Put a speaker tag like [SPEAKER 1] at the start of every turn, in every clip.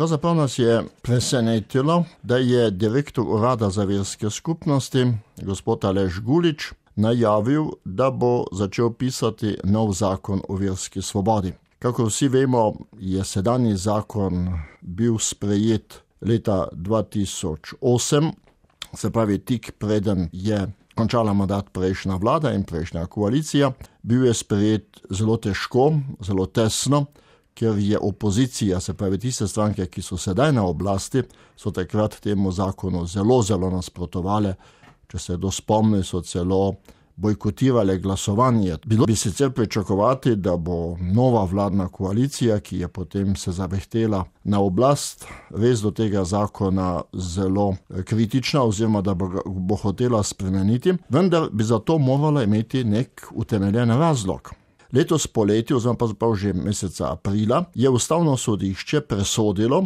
[SPEAKER 1] Pravzaprav nas je presenetilo, da je direktor Urada za verske skupnosti, gospod Aleš Gulič, najavil, da bo začel pisati nov zakon o verski svobodi. Kako vsi vemo, je sedanji zakon bil sprejet leta 2008, se pravi tik preden je končala mandat prejšnja vlada in prejšnja koalicija. Bil je sprejet zelo težko, zelo tesno, ker je opozicija, se pravi tiste stranke, ki so sedaj na oblasti, so takrat temu zakonu zelo nasprotovale. Če se dospomni, so celo bojkotirale glasovanje. Bilo bi sicer pričakovati, da bo nova vladna koalicija, ki je potem se zavehtela na oblast, res do tega zakona zelo kritična oziroma da bo hotela spremeniti, vendar bi za to morala imeti nek utemeljen razlog. Letos poleti, oziroma pravzaprav že meseca aprila, je Ustavno sodišče presodilo,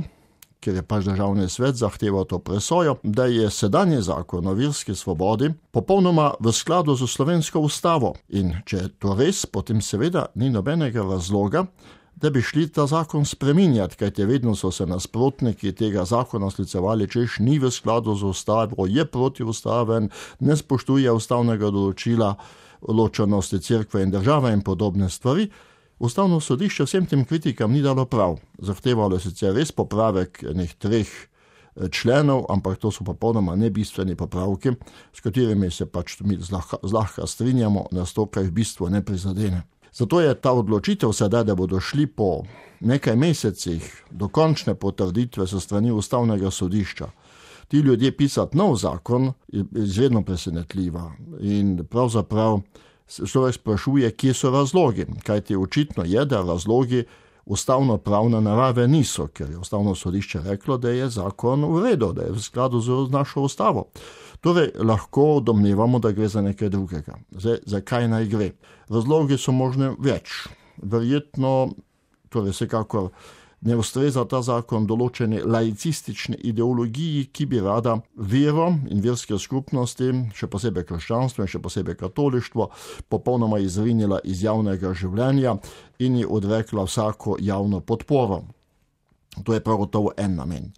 [SPEAKER 1] ker je pač državni svet zahteval to presojo, da je sedanji zakon o verski svobodi popolnoma v skladu z slovensko ustavo. In če je to res, potem seveda ni nobenega razloga, da bi šli ta zakon spreminjati, kajti vedno so se nasprotniki tega zakona sklicevali, češ ni v skladu z ustavo, je protiustaven, ne spoštuje ustavnega določila ločenosti cerkve in države in podobne stvari. Ustavno sodišče vsem tem kritikam ni dalo prav. Zahtevalo je sicer res popravek enih 3 členov, ampak to so popolnoma nebistveni popravki, s katerimi se pač mi zlahka strinjamo, nas to kaj v bistvu ne prizadene. Zato je ta odločitev sedaj, da bodo šli po nekaj mesecih do končne potrditve so strani Ustavnega sodišča ti ljudje pisati nov zakon, je izredno presenetljiva. In pravzaprav človek sprašuje, kje so razlogi. Kajti očitno je, da razlogi ustavno-pravne narave niso, ker je Ustavno sodišče reklo, da je zakon v redu, da je v skladu z našo ustavo. Torej, lahko domnevamo, da gre za nekaj drugega. Zakaj naj gre? Razlogi so možne več. Verjetno, torej vsekakor, ne ustreza ta zakon določene laicistične ideologiji, ki bi rada vero in verske skupnosti, še posebej krščanstvo in še posebej katolištvo, popolnoma izrinila iz javnega življenja in ji odrekla vsako javno podporo. To je prav gotovo en namen.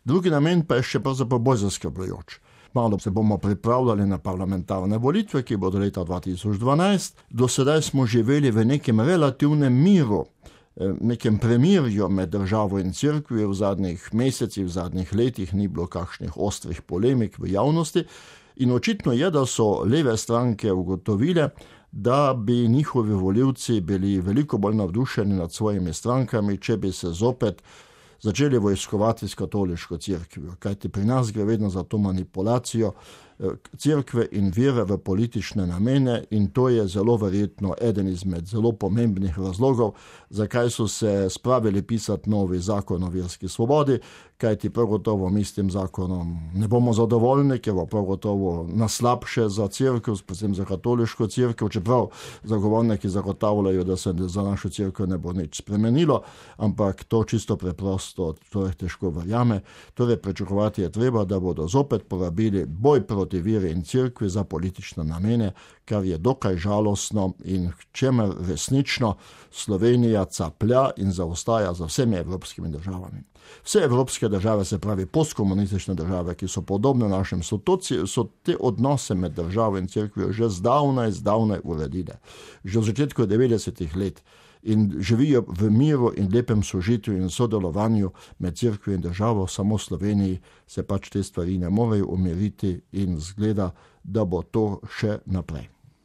[SPEAKER 1] Drugi namen pa je še pravzaprav bolj zaskrbljujoč. Malo se bomo pripravljali na parlamentarne volitve, ki bodo leta 2012. Do sedaj smo živeli v nekem relativnem miru, nekem premirju med državo in cerkvijo. V zadnjih mesecih, v zadnjih letih ni bilo kakšnih ostrih polemik v javnosti in očitno je, da so leve stranke ugotovile, da bi njihovi volivci bili veliko bolj navdušeni nad svojimi strankami, če bi se zopet začeli vojskovati s katoliško cerkvijo. Kajti pri nas gre vedno za to manipulacijo cerkve in vere v politične namene in to je zelo verjetno eden izmed zelo pomembnih razlogov, zakaj so se spravili pisati novi zakon o verski svobodi, kajti prav gotovo mi s tem zakonom ne bomo zadovoljni, ker bo prav gotovo naslabše za cerkev, predvsem za katoliško cerkev, čeprav zagovorniki zagotavljajo, da se za našo cerkev ne bo nič spremenilo, ampak to čisto preprosto, to je težko verjame. Torej pričakovati je treba, da bodo zopet porabili boj proti veri in cerkvi za politične namene, kar je dokaj žalostno in čemer resnično Slovenija caplja in zaostaja za vsemi evropskimi državami. Vse evropske države, se pravi postkomunistične države, ki so podobne našim, so te odnose med državo in cerkvijo že zdavnaj uredile. Že v začetku 90. let in živijo v miru in lepem sožitju in sodelovanju med cerkvijo in državo, samo v Sloveniji se pač te stvari ne morejo umiriti in zgleda, da bo to še naprej.